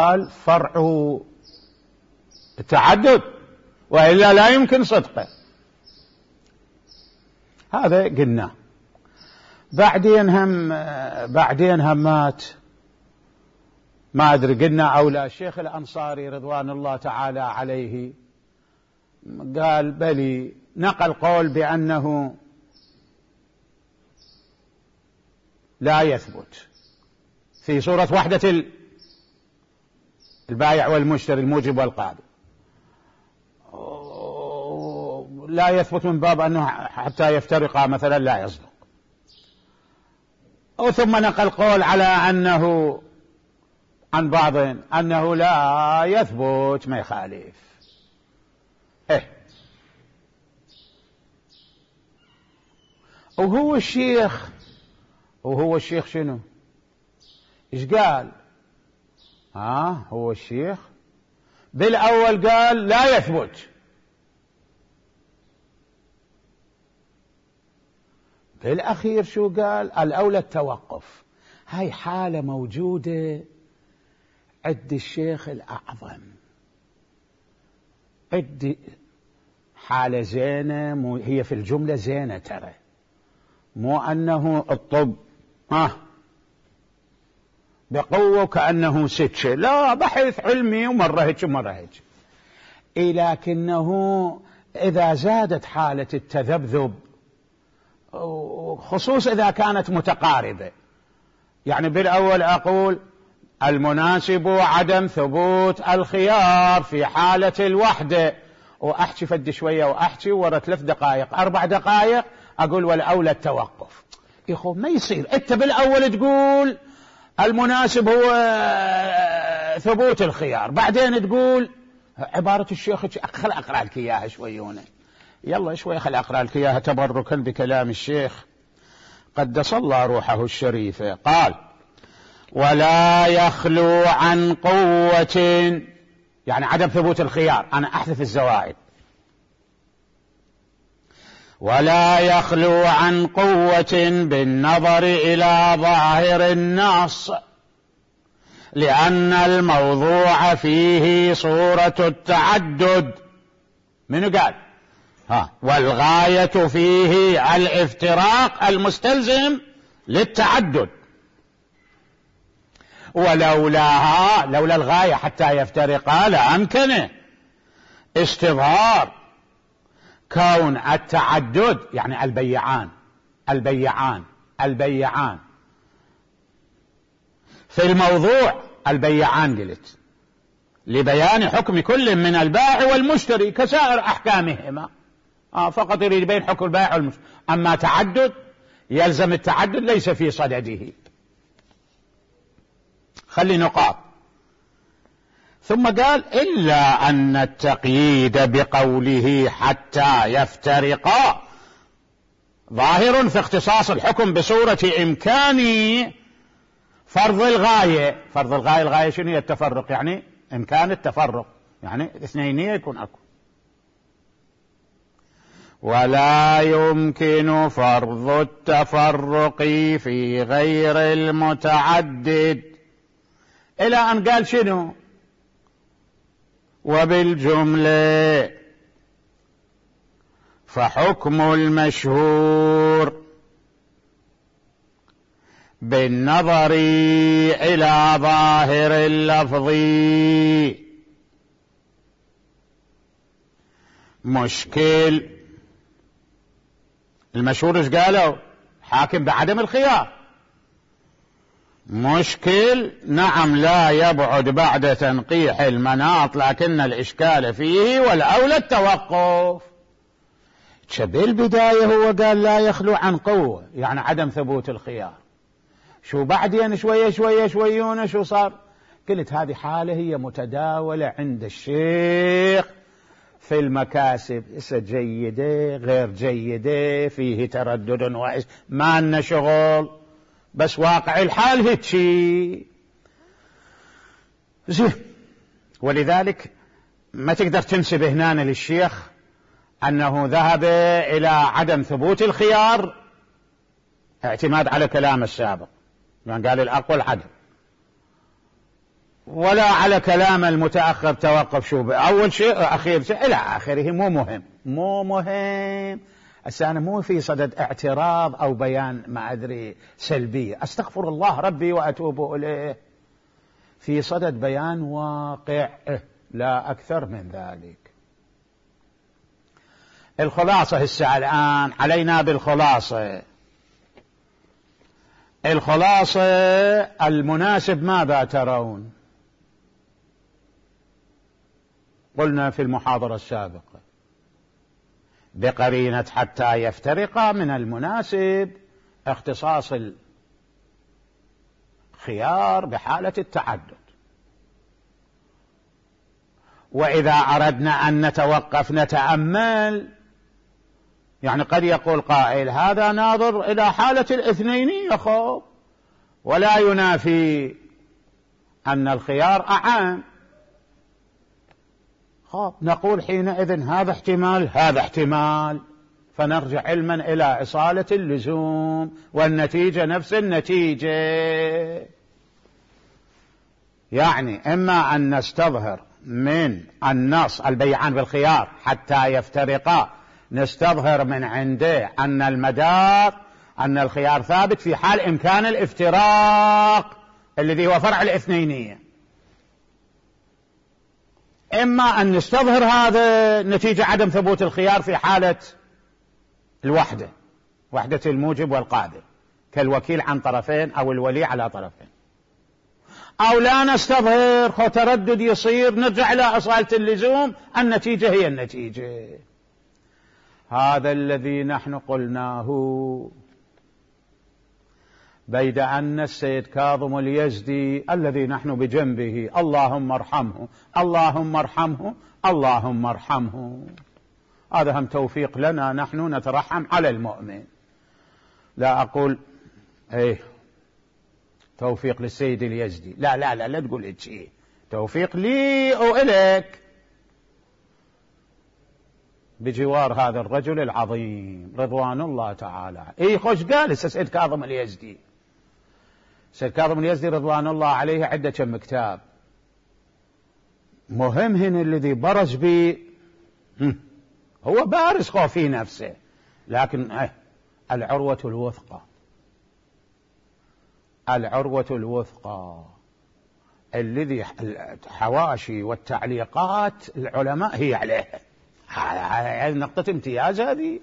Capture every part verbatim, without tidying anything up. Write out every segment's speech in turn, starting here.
قال فرع التعدد، وإلا لا يمكن صدقه. هذا قلنا. بعدين هم بعدين همات ما أدري قلنا أو لا، الشيخ الأنصاري رضوان الله تعالى عليه قال بلي، نقل قول بأنه لا يثبت في صورة وحدة البائع والمشتري الموجب والقابل، لا يثبت من باب أنه حتى يفترقا مثلا لا يصدق. أو ثم نقل قول على أنه عن بعض أنه لا يثبت ما يخالف. إيه وهو الشيخ وهو الشيخ شنو إيش قال؟ ها هو الشيخ بالأول قال لا يثبت، بالأخير شو قال؟ الأولى التوقف. هاي حالة موجودة عند الشيخ الأعظم، عند حالة زينة، مو هي في الجملة زينة ترى، مو أنه الطب آه بقوة كأنه ستشة، لا، بحث علمي ومرة هيك ومرة هيك. لكنه إذا زادت حالة التذبذب، خصوص إذا كانت متقاربة، يعني بالأول أقول المناسب عدم ثبوت الخيار في حالة الوحدة، وأحكي فد شوية وأحكي ورا ثلاث دقائق أربع دقائق أقول والأولى التوقف. يخو ما يصير أنت بالأول تقول المناسب هو ثبوت الخيار، بعدين تقول عبارة الشيخ. خل أقرأ لك إياها شويونة، يلا شوي خل أقرأ لك إياها تبركا بكلام الشيخ قدس الله روحه الشريفة. قال: ولا يخلو عن قوة، يعني عدم ثبوت الخيار، أنا أحذف الزوائد. ولا يخلو عن قوة بالنظر إلى ظاهر النص، لأن الموضوع فيه صورة التعدد. منو قال؟ ها والغاية فيه الافتراق المستلزم للتعدد، ولولاها لولا الغاية حتى يفترقا لأمكنه استظهار كون التعدد، يعني البيعان البيعان البيعان في الموضوع البيعان قلت لبيان حكم كل من البائع والمشتري كسائر أحكامهما. آه فقط يريد يبين حكم البائع والمشتري. أما تعدد يلزم التعدد ليس في صدده. خلي نقاط. ثم قال: إلا أن التقييد بقوله حتى يفترقا ظاهر في اختصاص الحكم بصورة إمكان فرض الغاية. فرض الغاية، الغاية شنو هي؟ التفرق، يعني إمكان التفرق، يعني اثنين يكون أكو. ولا يمكن فرض التفرق في غير المتعدد، إلى أن قال شنو؟ وبالجملة فحكم المشهور بالنظر إلى ظاهر اللفظ مشكل. المشهور ايش قالوا؟ حاكم بعدم الخيار. مشكل، نعم، لا يبعد بعد تنقيح المناط، لكن الإشكال فيه والأولى التوقف. بالبداية هو قال لا يخلو عن قوة، يعني عدم ثبوت الخيار. شو بعدين شوية شوية شويون شو صار؟ قلت هذه حالة هي متداولة عند الشيخ في المكاسب، جيدة غير جيدة، فيه تردد وإيش، ما لنا شغل، بس واقع الحال هيك شيء زين. ولذلك ما تقدر تنسب هنا للشيخ أنه ذهب إلى عدم ثبوت الخيار اعتماد على كلام السابق، يعني قال الأقوى العدم. ولا على كلام المتأخر توقف شو أول شيء أخير شيء إلى آخره، مو مهم مو مهم. هسه أنا مو في صدد اعتراض أو بيان ما أدري سلبية، أستغفر الله ربي وأتوب إليه، في صدد بيان واقع لا أكثر من ذلك. الخلاصة هسه الآن علينا بالخلاصة. الخلاصة المناسب ماذا ترون؟ قلنا في المحاضرة السابقة بقرينة حتى يفترقا من المناسب اختصاص الخيار بحالة التعدد. وإذا أردنا أن نتوقف نتأمل، يعني قد يقول قائل هذا ناظر إلى حالة الاثنينية خب، ولا ينافي أن الخيار أعم. خب نقول حينئذ هذا احتمال هذا احتمال، فنرجع علما إلى إصالة اللزوم، والنتيجة نفس النتيجة. يعني إما أن نستظهر من النص البيعان بالخيار حتى يفترقا، نستظهر من عنده أن المدار أن الخيار ثابت في حال إمكان الافتراق الذي هو فرع الاثنينية. إما أن نستظهر هذا نتيجة عدم ثبوت الخيار في حالة الوحدة، وحدة الموجب والقابل، كالوكيل عن طرفين أو الولي على طرفين. أو لا نستظهر، خو تردد يصير، نرجع إلى أصالة اللزوم، النتيجة هي النتيجة. هذا الذي نحن قلناه، بيد أن السيد كاظم اليزدي الذي نحن بجنبه اللهم ارحمه اللهم ارحمه اللهم ارحمه، هذا هم توفيق لنا، نحن نترحم على المؤمن. لا أقول ايه توفيق للسيد اليزدي، لا لا لا لا تقول إيه شيء، توفيق لي أو إليك بجوار هذا الرجل العظيم رضوان الله تعالى. ايه خوش قال السيد كاظم اليزدي. السيد كاظم اليزدي رضوان الله عليه عدة كم كتاب مهم هنا الذي برز به، هو بارز خو في نفسه، لكن اه العروة الوثقى، العروة الوثقى الذي الحواشي والتعليقات العلماء هي عليها، هذه نقطة امتياز. هذه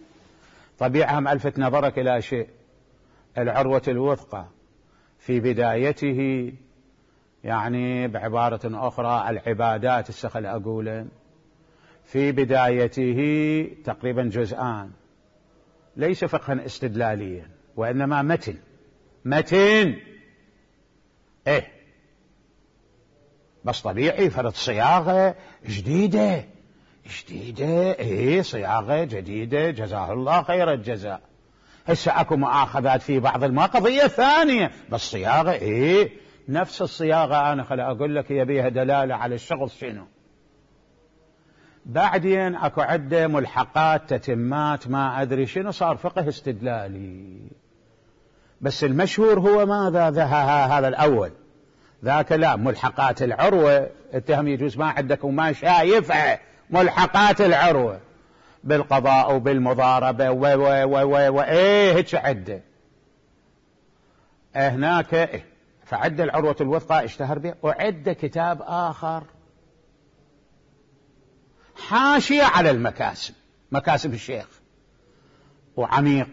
طبيعة هم ألفت نظرك إلى شيء، العروة الوثقى في بدايته، يعني بعبارة أخرى العبادات السخل أقولا في بدايته تقريبا جزءان، ليس فقها استدلاليا وإنما متن متن إيه بس طبيعي فرض صياغة جديدة جديدة إيه صياغة جديدة جزاه الله خير الجزاء. هسه أكو مؤاخذات في بعض المواقف ثانية، بس صياغة إيه نفس الصياغة. أنا خلي أقول لك هي بيها دلالة على الشخص شنو. بعدين أكو عدة ملحقات تتمات ما أدري شنو، صار فقه استدلالي. بس المشهور هو ماذا؟ هذا الأول، ذاك لا ملحقات العروة. اتهم يجوز ما عندك وما شايفها ملحقات العروة بالقضاء وبالمضاربة و و و و و ايه هيك عدة هناك إيه. فعد العروة الوثقى اشتهر به، وعد كتاب آخر حاشية على المكاسب، مكاسب الشيخ، وعميق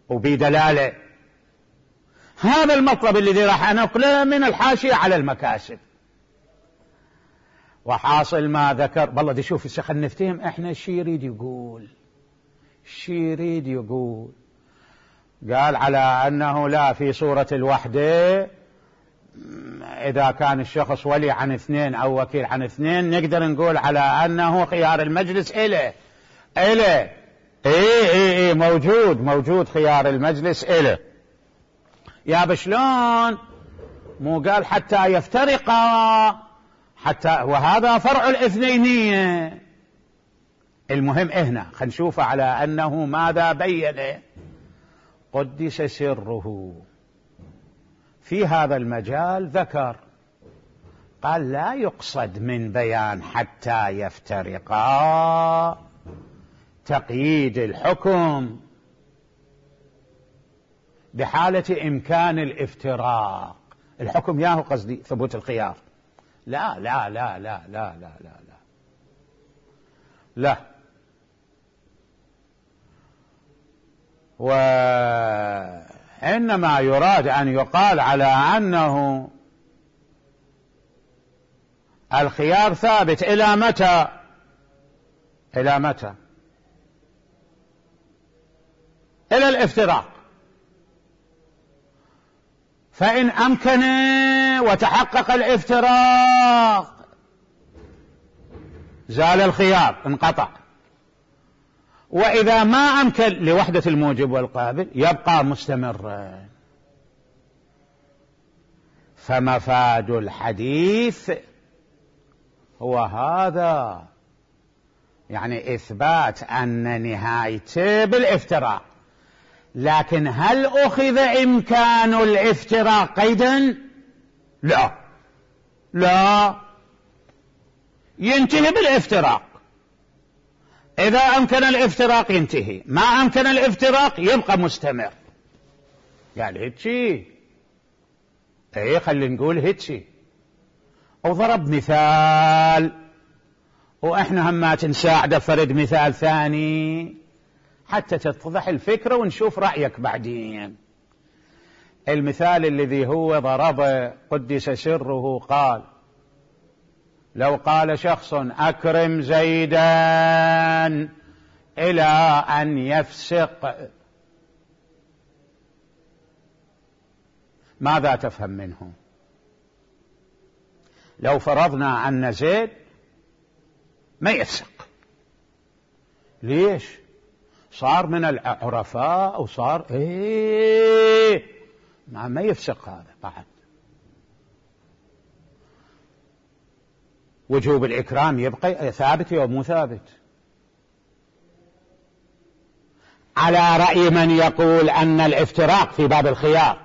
وبدلالة. هذا المطلب الذي راح أنقله من الحاشية على المكاسب. وحاصل ما ذكر والله دي شوف السخن نفتهم احنا شي يريد يقول شي يريد يقول قال على أنه لا في صورة الوحدة إذا كان الشخص ولي عن اثنين أو وكيل عن اثنين نقدر نقول على أنه خيار المجلس إله إله إيه إيه إيه موجود موجود خيار المجلس إله. يا بشلون مو قال حتى يفترقا، حتى وهذا فرع الاثنينية. المهم هنا خلينا نشوف على أنه ماذا بين قدس سره في هذا المجال. ذكر قال لا يقصد من بيان حتى يفترقا تقييد الحكم بحالة إمكان الافتراق. الحكم ياهو قصدي ثبوت الخيار. لا لا لا لا لا لا لا لا لا وإنما يراد أن يقال على أنه الخيار ثابت إلى متى؟ إلى متى؟ إلى الافتراق. فإن أمكن وتحقق الافتراق زال الخيار، انقطع. وإذا ما أمكن لوحدة الموجب والقابل يبقى مستمرا. فمفاد الحديث هو هذا، يعني إثبات أن نهايته بالافتراق. لكن هل أخذ إمكان الافتراق قيدا؟ لا لا، ينتهي بالافتراق. إذا أمكن الافتراق ينتهي، ما أمكن الافتراق يبقى مستمر. يعني هيتشي، ايه خلينا نقول هيتشي. وضرب مثال، وإحنا همات نساعده فرد مثال ثاني حتى تتضح الفكرة ونشوف رأيك بعدين. المثال الذي هو ضربه قدس سره قال: لو قال شخص أكرم زيدا إلى أن يفسق، ماذا تفهم منه؟ لو فرضنا أن زيد ما يفسق، ليش؟ صار من العرفاء وصار ايه ما, ما يفسق هذا بعد. وجوب الإكرام يبقى ثابت أو مو ثابت؟ على رأي من يقول أن الافتراق في باب الخيار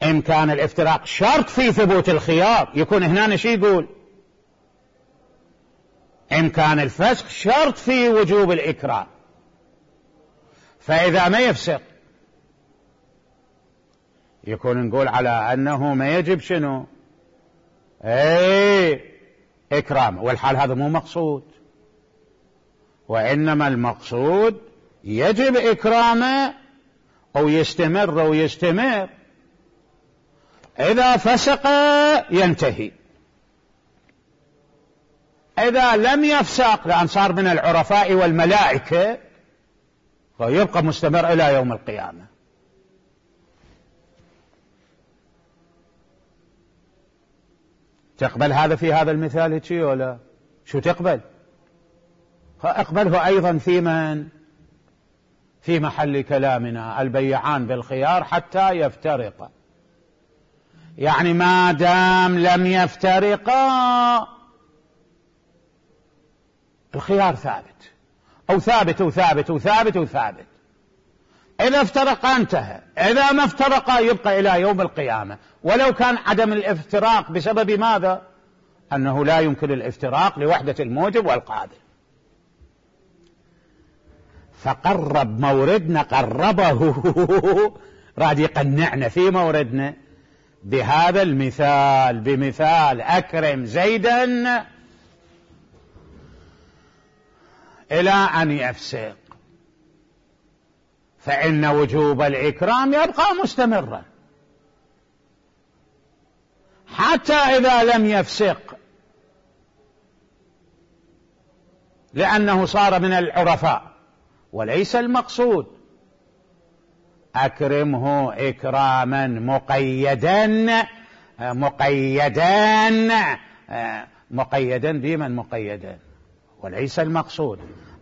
إن كان الافتراق شرط في ثبوت الخيار، يكون هنا شي يقول إن كان الفسق شرط في وجوب الإكرام. فإذا ما يفسق يكون نقول على أنه ما يجب شنو؟ ايه إكرام. والحال هذا مو مقصود، وإنما المقصود يجب إكرامه أو يستمر ويستمر. إذا فسق ينتهي، إذا لم يفسق لأن صار من العرفاء والملائكة فيبقى مستمر إلى يوم القيامة. تقبل هذا في هذا المثال هيك ولا شو تقبل؟ اقبله أيضا في من؟ في محل كلامنا: البيعان بالخيار حتى يفترقا. يعني ما دام لم يفترقا الخيار ثابت، أو ثابت وثابت وثابت وثابت. إذا افترقا انتهى، إذا ما افترقا يبقى إلى يوم القيامة. ولو كان عدم الافتراق بسبب ماذا؟ أنه لا يمكن الافتراق لوحدة الموجب والقابل. فقرب موردنا، قربه راد يقنعنا في موردنا بهذا المثال، بمثال أكرم زيدا إلى أن يفسق، فإن وجوب الإكرام يبقى مستمرا حتى إذا لم يفسق، لأنه صار من العرفاء. وليس المقصود أكرمه إكراما مقيدا مقيدا مقيدا بمن مقيدا، وليس المقصود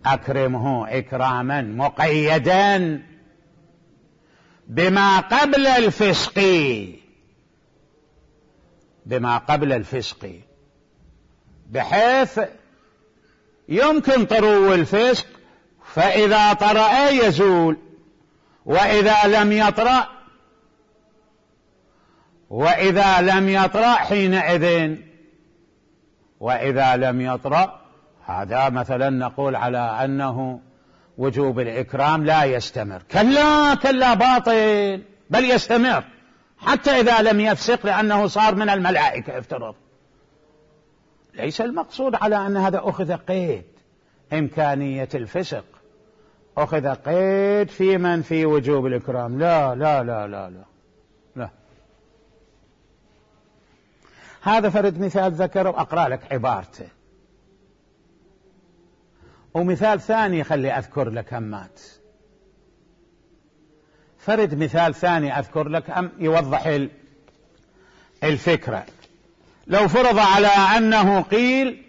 أكرمه إكراما مقيدا بما قبل الفسق، بما قبل الفسق، بحيث يمكن طرو الفسق، فإذا طرأ يزول، وإذا لم يطرأ وإذا لم يطرأ حينئذ وإذا لم يطرأ هذا مثلا نقول على أنه وجوب الإكرام لا يستمر. كلا كلا باطل، بل يستمر حتى إذا لم يفسق، لأنه صار من الملائكة افترض. ليس المقصود على أن هذا أخذ قيد إمكانية الفسق، أخذ قيد في من في وجوب الإكرام. لا لا لا لا لا, لا. هذا فرد مثال ذكر وأقرأ لك عبارته، ومثال ثاني خلي أذكر لك همات. فرد مثال ثاني أذكر لك أم يوضح الفكرة. لو فرض على أنه قيل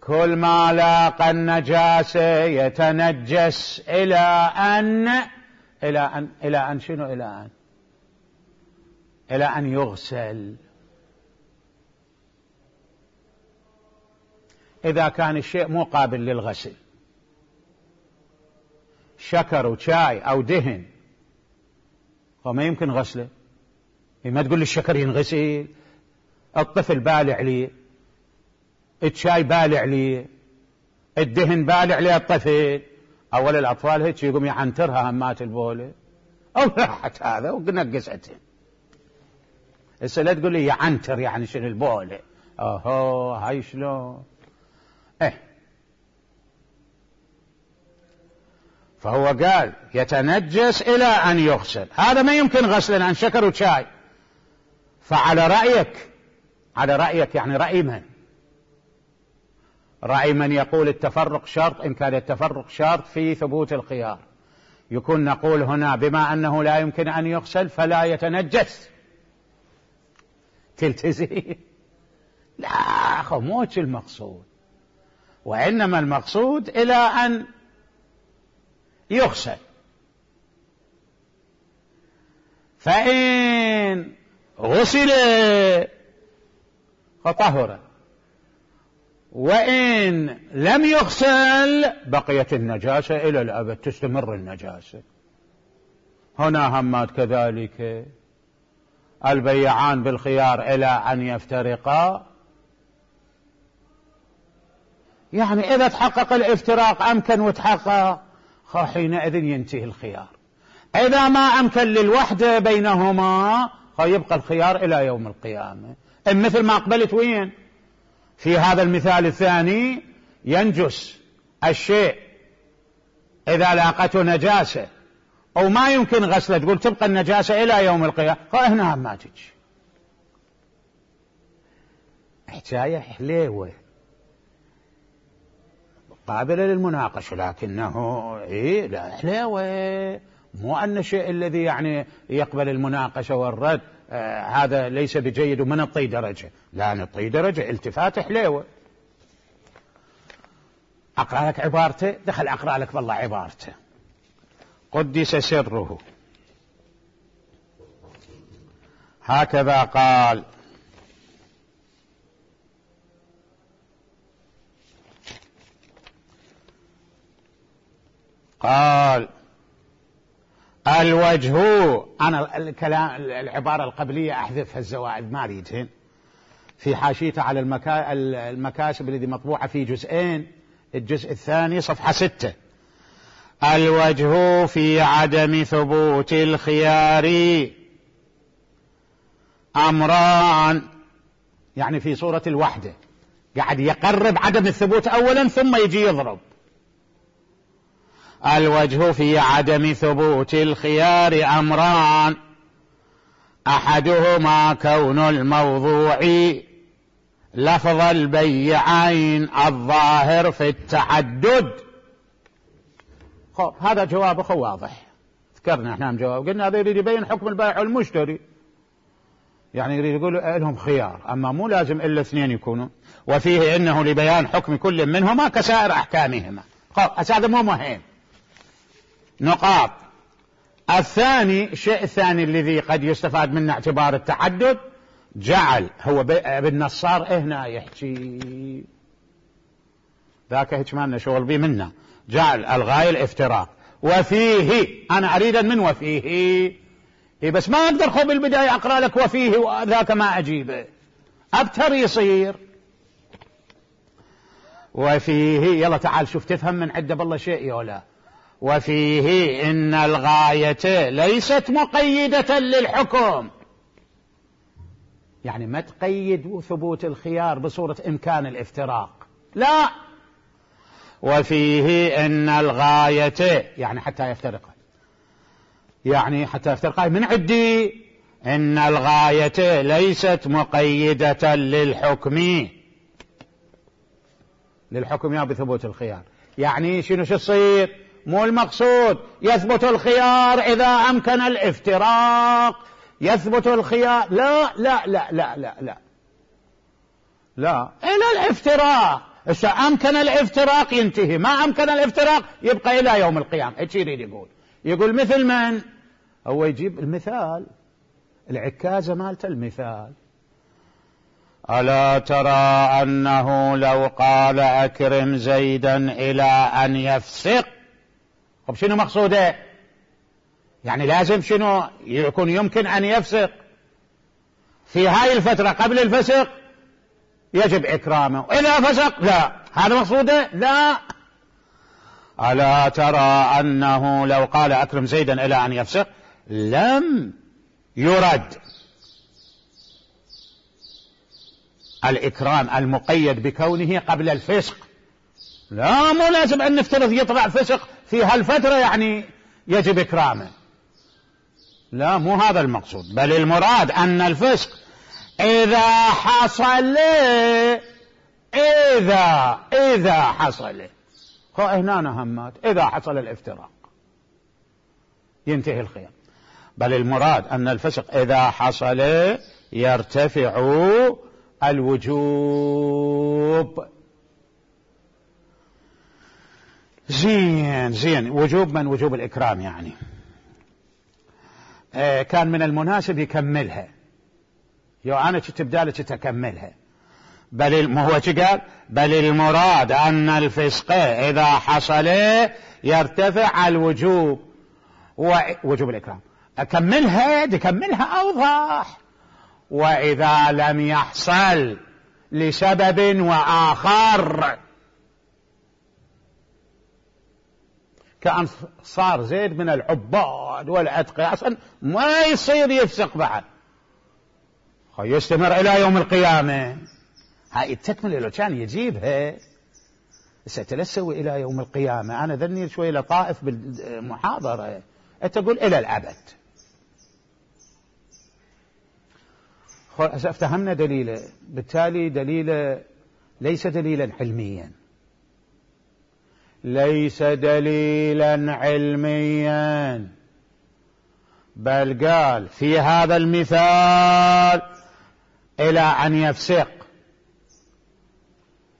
كل ما لاقى النجاسة يتنجس إلى أن إلى أن إلى أن شنو إلى أن إلى أن يغسل. إذا كان الشيء مو قابل للغسل، شكر وشاي أو دهن، فما يمكن غسله. ما تقول لي الشكر ينغسل، الطفل بالع لي، الشاي بالع لي، الدهن بالع لي الطفل. أول الأطفال هيك يقوم يعنترها همات البولة أو راحت هذا ونقزته. هسه لا تقول لي يعنتر يعني شنو البولة. أوهو هاي شلون؟ إيه فهو قال يتنجس إلى أن يغسل، هذا ما يمكن غسلا عن شكر وشاي. فعلى رأيك على رأيك يعني رأي من؟ رأي من يقول التفرق شرط. إن كان التفرق شرط في ثبوت الخيار، يكون نقول هنا بما أنه لا يمكن أن يغسل فلا يتنجس. تلتزم؟ لا أخو موش المقصود، وإنما المقصود إلى أن يغسل. فإن غسل فطهر، وإن لم يغسل بقيت النجاسة إلى الأبد، تستمر النجاسة. هنا همات كذلك البيعان بالخيار إلى أن يفترقا، يعني إذا تحقق الافتراق أمكن وتحقق حينئذ ينتهي الخيار. إذا ما أمكن للوحدة بينهما يبقى الخيار إلى يوم القيامة. مثل ما قبلت وين في هذا المثال الثاني، ينجس الشيء إذا لاقته نجاسة أو ما يمكن غسله، تقول تبقى النجاسة إلى يوم القيامة. هنا ما تجي حكاية حليوة قابلة للمناقشة، لكنه إيه لا حليوة، مو أن الشيء الذي يعني يقبل المناقشة والرد آه هذا ليس بجيد ومن الطي درجة. لا نطي درجة التفات حليوة. أقرأ لك عبارته، دخل أقرأ لك والله عبارته قدس سره. هكذا قال: قال الوجه، أنا الكلام العبارة القبلية أحذفها الزوائد ما أريدهن، في حاشيته على المكا... المكاسب الذي مطبوعة في جزئين، الجزء الثاني صفحة ستة. الوجه في عدم ثبوت الخيار أمران، يعني في صورة الوحدة قاعد يقرب عدم الثبوت أولا ثم يجي يضرب. الوجه في عدم ثبوت الخيار أمران، أحدهما كون الموضوع لفظ البيعين الظاهر في التعدد. هذا جواب خو واضح، ذكرنا احنا جواب، قلنا هذا يريد يبين حكم البائع والمشتري، يعني يريد يقول لهم خيار، أما مو لازم إلا اثنين يكونوا، وفيه إنه لبيان حكم كل منهما كسائر أحكامهما. هذا مو مهم. نقاط. الثاني، الشيء الثاني الذي قد يستفاد منه اعتبار التعدد، جعل هو بالنصار هنا يحكي ذاك هيك ما لنا شغل بي منا، جعل الغاية الافتراق، وفيه أنا أريد من وفيه إيه بس ما أقدر خو بالبداية أقرأ لك وفيه وذاك ما أجيبه، أبتر يصير وفيه. يلا تعال شوف تفهم من عده بالله شيء يولا. وفيه إن الغاية ليست مقيدة للحكم، يعني ما تقيد ثبوت الخيار بصورة إمكان الافتراق، لا. وفيه إن الغاية يعني حتى يفترق، يعني حتى يفترق من عدي إن الغاية ليست مقيدة للحكم للحكم يا بثبوت الخيار. يعني شنو شو تصير؟ مو المقصود يثبت الخيار إذا أمكن الافتراق، يثبت الخيار لا لا لا لا لا لا لا إلى الافتراق. إذا أمكن الافتراق ينتهي، ما أمكن الافتراق يبقى إلى يوم القيامة. إيش يريد يقول؟ يقول مثل من؟ هو يجيب المثال، العكازة مالته المثال. ألا ترى أنه لو قال أكرم زيدا إلى أن يفسق. طب شنو مقصوده؟ يعني لازم شنو يكون يمكن أن يفسق في هاي الفترة قبل الفسق يجب إكرامه، وإذا فسق لا. هذا مقصوده؟ لا. ألا ترى أنه لو قال أكرم زيدا إلى أن يفسق لم يرد الإكرام المقيد بكونه قبل الفسق. لا، مو لازم أن نفترض يطلع فسق في هالفترة يعني يجب إكرامه، لا مو هذا المقصود. بل المراد أن الفسق إذا حصل، إذا إذا حصل خو هنا نهمات، إذا حصل الافتراق ينتهي الخيار. بل المراد أن الفسق إذا حصل يرتفع الوجوب. زين زين. وجوب من؟ وجوب الإكرام يعني. آه كان من المناسب يكملها، يو أنا تبدالك تكملها. بل ما هو قال؟ بل المراد أن الفسق إذا حصل يرتفع الوجوب، ووجوب الإكرام. أكملها تكملها أوضح. وإذا لم يحصل لسبب وآخر، كأن صار زيد من العباد والأتقياء أصلا ما يصير يفسق بعد، يستمر إلى يوم القيامة. هاي التكملة لو كان يجيبها ستلسوي إلى يوم القيامة. أنا ذني شوي لطائف بالمحاضرة، أنت تقول إلى الأبد. افتهمنا دليله، بالتالي دليله ليس دليلا علميا، ليس دليلا علميا، بل قال في هذا المثال إلى أن يفسق.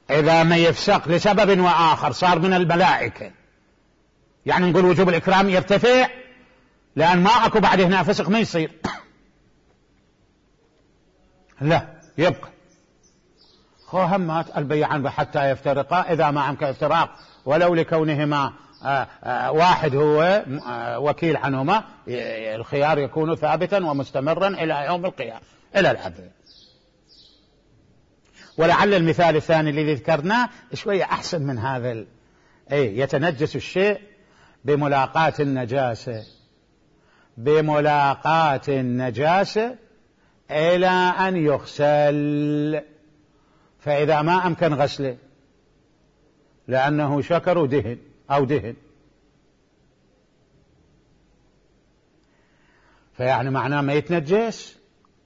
إذا ما يفسق لسبب وآخر صار من الملائكة، يعني نقول وجوب الإكرام يرتفع، لأن ما أكو بعد هنا فسق ما يصير. لا، يبقى خو همات البيعان حتى يفترقا إذا ما أمكن افتراق ولو لكونهما آآ آآ واحد هو وكيل عنهما، الخيار يكون ثابتا ومستمرا إلى يوم القيامة إلى الأبد. ولعل المثال الثاني الذي ذكرناه شوية أحسن من هذا ال... أي يتنجس الشيء بملاقاة النجاسة، بملاقاة النجاسة إلى أن يغسل، فإذا ما أمكن غسله لأنه شكر ودهن أو دهن، فيعني معناه ما يتنجس؟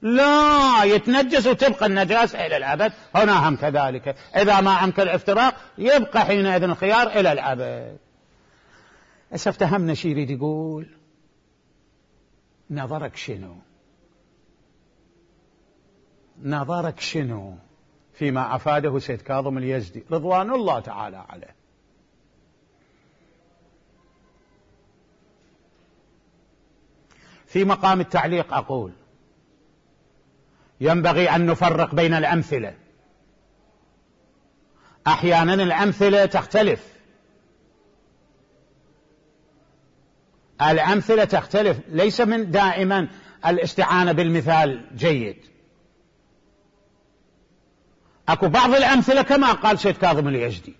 لا، يتنجس وتبقى النجاسة إلى الأبد. هنا هم كذلك، إذا ما أمكن الافتراق يبقى حينئذ الخيار إلى الأبد. افتهمنا شي يريد يقول؟ نظرك شنو؟ نظرك شنو فيما أفاده سيد كاظم اليزدي رضوان الله تعالى عليه؟ في مقام التعليق أقول ينبغي أن نفرق بين الأمثلة. أحيانا الأمثلة تختلف، الأمثلة تختلف، ليس من دائما الاستعانة بالمثال جيد. اكو بعض الامثلة كما قال سيد كاظم اليزدي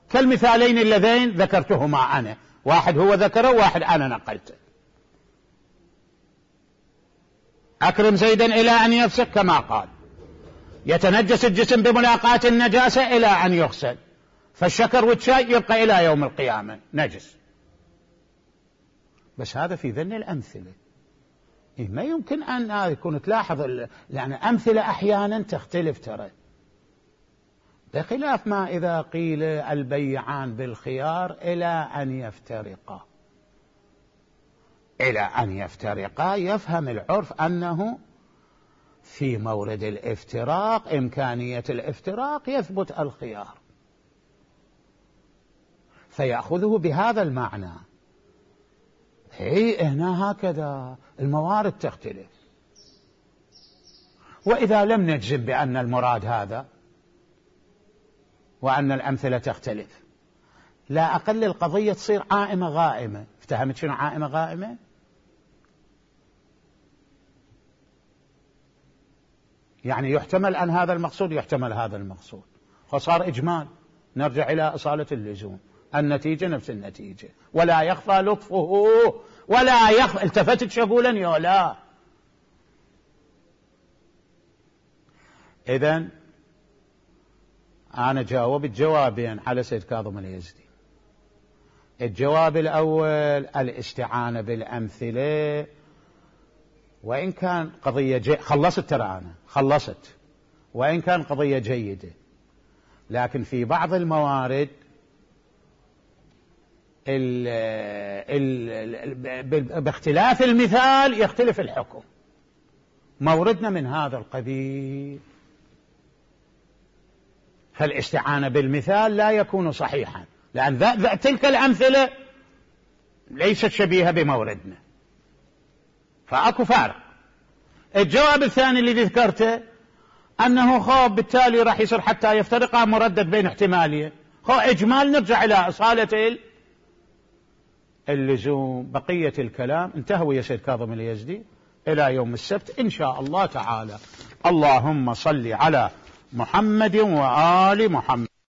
كالمثالين اللذين ذكرتهما انا، واحد هو ذكره وواحد انا نقلته. اكرم زيدا الى ان يفسق كما قال، يتنجس الجسم بملاقاة النجاسة الى ان يغسل، فالشكر والشاي يبقى الى يوم القيامة نجس. بس هذا في ذن الامثلة، إيه ما يمكن ان يكون تلاحظ يعني امثلة احيانا تختلف ترى، بخلاف ما اذا قيل البيعان بالخيار الى ان يفترقا. الى ان يفترقا يفهم العرف انه في مورد الافتراق امكانية الافتراق يثبت الخيار، فيأخذه بهذا المعنى. هي هنا هكذا الموارد تختلف، وإذا لم نجزم بأن المراد هذا وأن الأمثلة تختلف، لا أقل القضية تصير عائمة غائمة. افتهمت شنو عائمة غائمة؟ يعني يحتمل أن هذا المقصود يحتمل هذا المقصود، فصار إجمال. نرجع إلى أصالة اللزوم، النتيجة نفس النتيجة، ولا يخفى لطفه ولا يخفى. التفتت شغولا يا لا. إذن أنا جاوبت جوابين على سيد كاظم اليزدي. الجواب الأول الاستعانة بالأمثلة، وإن كان قضية جي... خلصت ترى أنا خلصت وإن كان قضية جيدة، لكن في بعض الموارد ال... ال... باختلاف المثال يختلف الحكم. موردنا من هذا القبيل، فالاستعانة بالمثال لا يكون صحيحا، لأن ذا ذا تلك الأمثلة ليست شبيهة بموردنا، فأكو فارق. الجواب الثاني الذي ذكرته أنه خواب بالتالي راح يصير حتى يفترقا مردد بين احتمالين، خو إجمال. نرجع إلى أصالة اللزوم. بقية الكلام انتهوا يا سيد كاظم اليزدي إلى يوم السبت إن شاء الله تعالى. اللهم صل على محمد وآل محمد.